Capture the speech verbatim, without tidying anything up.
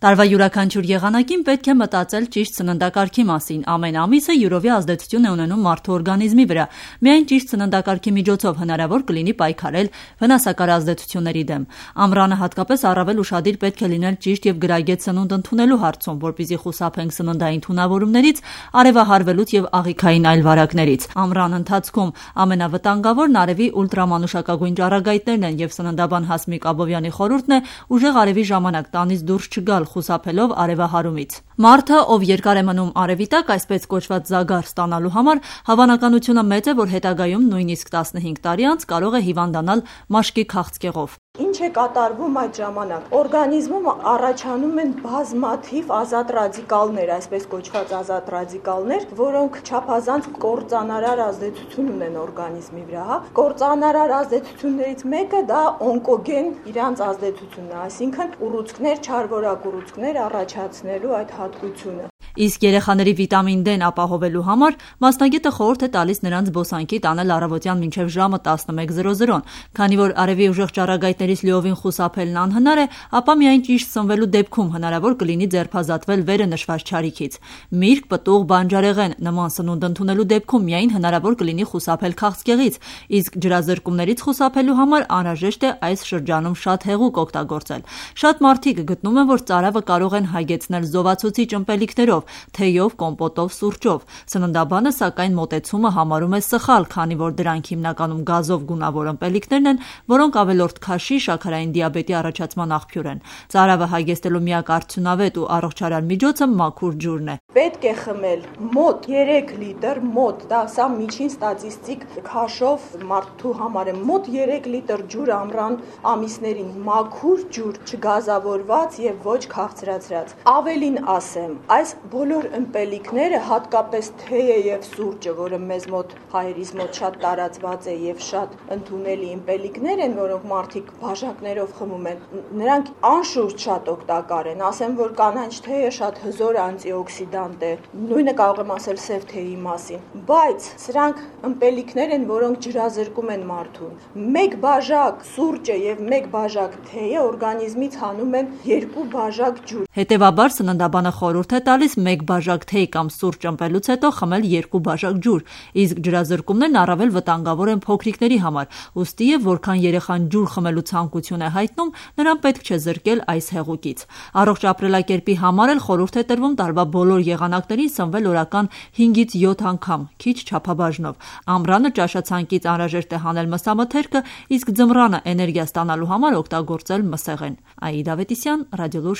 Տարվա յուրաքանչյուր եղանակին պետք է մտածել ճիշտ սննդակարգի մասին։ Ամեն ամիսը յուրովի ազդեցություն է ունենում մարդու օրգանիզմի վրա։ Միայն ճիշտ սննդակարգի միջոցով հնարավոր կլինի պայքարել վնասակար ազդեցությունների դեմ։ Ամռանը հատկապես առավել ուշադիր պետք է լինել ճիշտ եւ գրագետ սնունդ ընդունելու հարցում, որպեսզի խուսափենք սննդային թունավորումներից, արևահարվելուց եւ աղիքային այլ վարակներից։ Ամռան ընթացքում ամենավտանգավորն արևի ուլտրամանուշակագույն ճառագայթներն են եւ սննդաբան Հասմիկ Աբովյանի խորհուրդն է ուժեղ արևի ժամանակ տանից դուրս չգալ, խուսափելով արևահարումից։ Մարդը, ով երկար է մնում արևի տակ, այսպես կոչված զագար ստանալու համար, հավանականությունը մեծ է, որ հետագայում նույնիսկ տասնհինգ տարի անց կարող է հիվանդանալ մաշկի քաղցկեղով։ Ինչ է կատարվում այդ ժամանակ։ Օրգանիզմում առաջանում են բազմաթիվ ազատ ռադիկալներ, այսպես կոչված ազատ ռադիկալներ, որոնք չափազանց կործանարար ազդեցություն ունեն օրգանիզմի վրա, հա։ Կործանարար ազդեցություններից մեկը դա օնկոգեն իրանց ազդեցությունն է, այսինքն ուռուցքներ, չարվորակ ուռուցքներ առաջացնելու այդ հատկությունը։ Իսկ երեխաների վիտամին D-ն ապահովելու համար մասնագետը խորհուրդ է տալիս նրանց զբոսանքի տանել առավոտյան մինչև ժամը տասնմեկ զրո զրոն, քանի որ արևի ուժեղ ճառագայթներից լիովին խուսափելն անհնար է, ապա միայն ճիշտ սնվելու դեպքում հնարավոր կլինի ձերբազատվել վերը նշված չարիքից։ Միրգ, պտուղ, բանջարեղեն նման սնունդ ընդունելու դեպքում միայն հնարավոր կլինի խուսափել քաղցկեղից, իսկ ջրազրկումներից խուսափելու համար անհրաժեշտ է այս շրջանում շատ հեղուկ օգտագործել։ Շատ մարդիկ գտնում են, որ ծարավը կարող են հագեցնել զովացուցիչ ըմպելիքներով, թեյով, կոմպոտով, սուրճով։ Սննդաբանը սակայն մոտեցումը համարում է սխալ, քանի որ դրանք հիմնականում գազով գունավոր ըմպելիքներն են, որոնք ավելորդ քաշի, շաքարային դիաբետի առաջացման աղբյուր են։ Ծարավը հագեցնելու միակ արդյունավետ ու առողջարար միջոցը մաքուր ջուրն է։ Պետք է խմել մոտ երեք լիտր, մոտ, դա սա միջին ստատիստիկ քաշով մարդու համար է, մոտ երեք լիտր ջուր ամռան ամիսներին, մաքուր ջուր, չգազավորված եւ ոչ քաղցրացրած։ Ավելին ասեմ, այս բոլոր ըմպելիքները, հատկապես թեյը եւ սուրճը, որը մեզ մոտ հայերիս մոտ շատ տարածված է եւ շատ ընդունելի ըմպելիքներ են, որոնք մարդիկ բաժակներով խմում են, նրանք անշուշտ շատ օգտակար են։ Ասեմ, որ կանաչ թեյը շատ հզոր անտիօքսիդանտ է, նույնը կարող եմ ասել սև թեյի մասին, բայց սրանք ըմպելիքներ են, որոնք ջրազրկում են մարդուն։ Մեկ բաժակ սուրճը եւ մեկ բաժակ թեյը օրգանիզմից հանում են երկու բաժակ ջուր։ Հետևաբար սննդաբանը խորհուրդ է տալիս մեկ բաժակ թեյ կամ սուրճ ըմպելուց հետո խմել երկու բաժակ ջուր, իսկ ջրազրկումներն առավել վտանգավոր են փոքրիկների համար, ուստի եւ որքան երեխան ջուր խմելու ցանկություն է հայտնում, նրան պետք չէ զրկել այս հեղուկից։ Առողջ ապրելակերպի համար էլ խորհուրդ է տրվում տարվա բոլոր եղանակներին սնվել օրական հինգից յոթ անգամ, քիչ չափաբաժնով։ Ամռանը ճաշացանկից անհրաժեշտ է հանել մսամթերքը, իսկ ձմռանը էներգիա ստանալու համար օգտագործել մսեղեն։ Աիդա Ավետիսյան, Ռադիոլուր։